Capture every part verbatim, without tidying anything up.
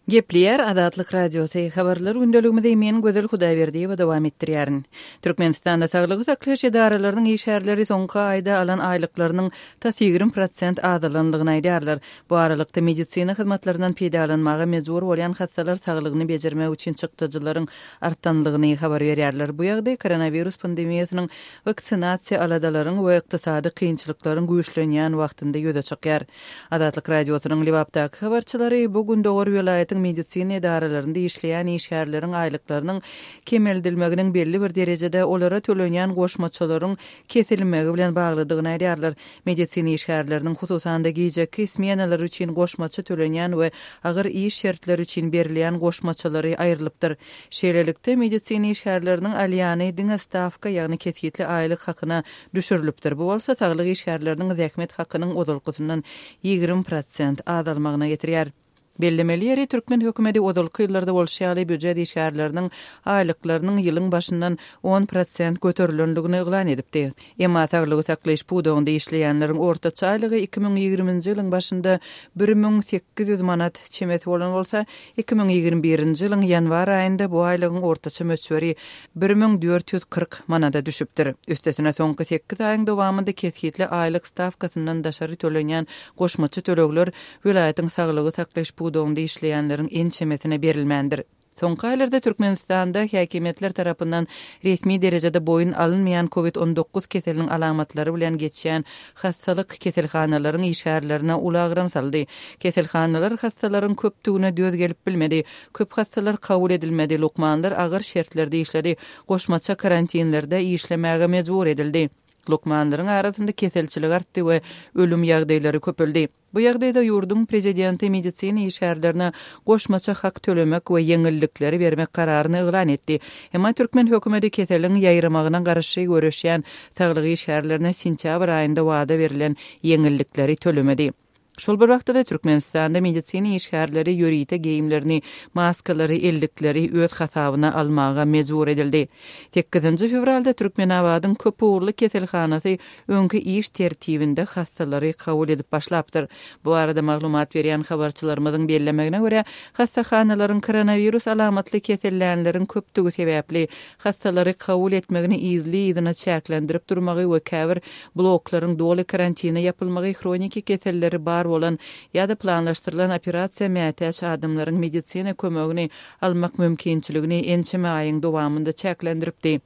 Gepleýär Azatlyk Radiosy. Habarlar gündeligimizi men Gözel Hudaýberdiýewa dowam etdirýärin. Türkmenistanda saglygy saklaýyş edaralarynyň işgärleri soňky aýda alan aýlyklarynyň tas ýigrimi prosent azalandygyny aýdýarlar. Bu aralykda medisina hyzmatlaryndan peýdalanmaga mejbur bolýan hassalar saglygyny bejermek üçin çykdajylaryň artandygyny habar berýärler. Bu ýagdaý koronawirus pandemiýasynyň waksinasiýa aladalaryň we ykdysady kynçylyklaryň güýçlenýän wagtynda ýüze çykýar. Azatlyk Radiosynyň Lebapdaky habarçylary bu gündogar welaýatyň medisina edaralarynda işleýän işgärleriň aýlyklarynyň kemeldilmeginiň belli bir derejede olara tölenýän goşmaçalaryň kesilmegi bilen baglydygyny aýdýarlar. Medisina işgärleriniň hususan-da gijeki smenalar üçin goşmaça tölenýän we agyr iş şertleri üçin berilýän goşmaçalary aýrylypdyr. Şeýlelikde, medisina işgärleriniň alýany diňe stawka, ýagny kesgitli aýlyk hakyna düşürilipdir. Bu bolsa saglyk işgärleriniň zähmet hakynyň ozalkysyndan ýigrimi prosent azalmagyna getirýär. Bellemeli ýeri, türkmen hökümeti ozalky ýyllarda bolşy ýaly býujet işgärleriniň aýlyklarynyň ýylyň başyndan on prosent göterilendigini yglan edipdi. Emma saglygy saklaýyş pudagynda işleýänleriň ortaça aýlygy iki müň ýigriminji ýylyň başynda bir müň sekiz ýüz manat çemesi bolan bolsa, iki müň ýigrimi birinji ýylyň ýanwar aýynda bu aýlygyň ortaça möçberi bir müň dört ýüz kyrk manada düşüpdir. Üstesine soňky sekiz aýyň dowamynda kesgitli aýlyk stawkasyndan daşary tölenýän goşmaça tölegler welaýatyň saglygy saklaýyş pudagynda işleýänleriň ençemesine berilmändir. Soňky aýlarda Türkmenistanda häkimiýetler tarapyndan resmi derejede boýun alynmaýan COVID on dokuz keseliniň alamatlary bilen geçýän hassalyk keselhanalaryň işgärlerine uly agram saldy. Keselhanalar hassalaryň köpdügine döz gelip bilmedi. Köp hassalar kabul edilmedi. Lukmanlar agyr şertlerde işledi. Goşmaça karantinlerde işlemäge mejbur edildi. Lukmanlaryň arasynda keselçilik artdy we ölüm ýagdaýlary köpeldi. Bu ýagdaýda ýurduň prezidenti medisina işgärlerine goşmaça hak tölemek we ýeňillikleri bermek kararyny yglan etdi. Emma türkmen hökümeti keseliň ýaýramagyna garşy göreşýän saglyk işgärlerine sentýabr aýynda wada berilen ýeňillikleri tölemedi. Şol bir wagtda Türkmenistanda medisina işgärleri ýörite geýimlerini, maskalary, ellikleri öz hasabyna almaga mejbur edildi. Sekizinji fewralda Türkmenabadyň köp ugurly keselhanasy öňki iş tertibinde hassalary kabul edip başlapdyr. Bu arada maglumat berýän habarçylarymyzyň bellemegine görä, hassahanalaryň koronawirus alamatly kesellänleriň köpdügi sebäpli hassalary kabul etmegini yzly-yzyna çäklendirip durmagy we käbir bloklaryň doly karantine ýapylmagy hroniki keselleri bar bolan ýa-da planlaşdyrylan operasiýa mätäç adamlaryň medisina kömegini almak mümkinçiligini ençeme aýyň dowamynda çäklendiripdi.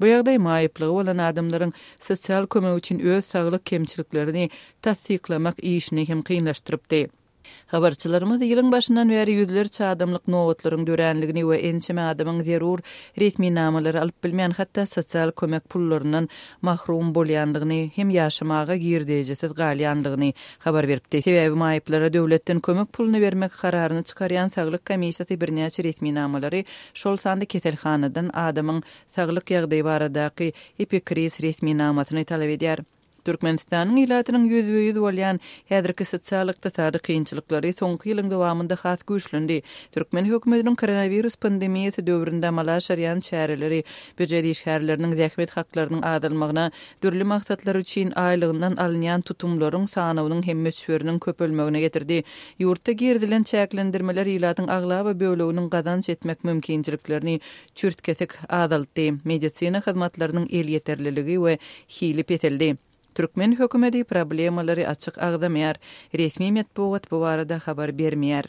Bu ýagdaý maýyplygy bolan adamlaryň sosial kömek üçin öz saglyk kemçiliklerini tassyklamak işini hem kynlaşdyrypdy. Habarçylarymyz ýylyň başyndan bäri ýüzlerçe adamlyk nobatlaryň döränligini we ençeme adamyň zerur resminamalary alyp bilmeýän, hatda sosial kömek pullaryndan mahrum bolýandygyny hem ýaşamaga girdejisiz galýandygyny habar beripdi. Sebäbi maýyplara döwletden kömek puluny bermek kararyny çykarýan saglyk komissiýasy birnäçe resminamalary, şol sanda keselhanadan adamyň saglyk ýagdaýy baradaky epikriz resminamasyny talap edýär. Türkmenistanyň ilatynyň ýüzbe-ýüz bolýan häzirki sosial-ykdysady kynçylyklary soňky ýylyň dowamynda has güýçlendi. Türkmen hökümetiniň koronawirus pandemiýasy döwründe amala aşyrýan çäreleri býujet işgärleriniň zähmet haklarynyň azalmagyna, dürli maksatlar üçin aýlygyndan alynýan tutumlaryň sanawynyň hem möçberiniň köpelmegine getirdi. Ýurtda girizilen çäklendirmeler ilatyň aglaba böleginiň gazanç etmek mümkinçiliklerini çürtkesik azaltdy. Medisina hyzmatlarynyň elýeterliligi we hili peseldi. Türkmen hökümeti problemalary açyk agzamaýar. Resmi metbugat bu barada habar bermeýär.